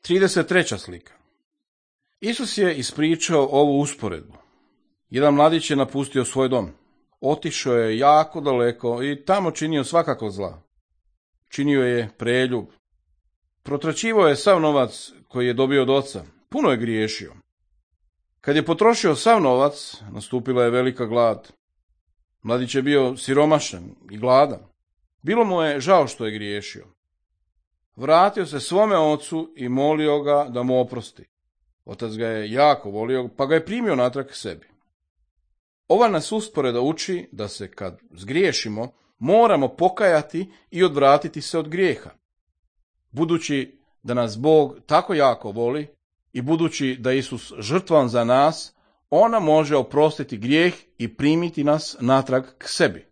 33. slika. Isus je ispričao ovu usporedbu. Jedan mladić je napustio svoj dom. Otišao je jako daleko i tamo činio svakako zla. Činio je preljub. Protraćivao je sav novac koji je dobio od oca. Puno je griješio. Kad je potrošio sav novac, nastupila je velika glad. Mladić je bio siromašan i gladan. Bilo mu je žao što je griješio. Vratio se svome ocu i molio ga da mu oprosti. Otac ga je jako volio, pa ga je primio natrag sebi. Ova nas usporeda uči da se kad zgriješimo, moramo pokajati i odvratiti se od grijeha. Budući da nas Bog tako jako voli i budući da Isus žrtvan za nas, ona može oprostiti grijeh i primiti nas natrag k sebi.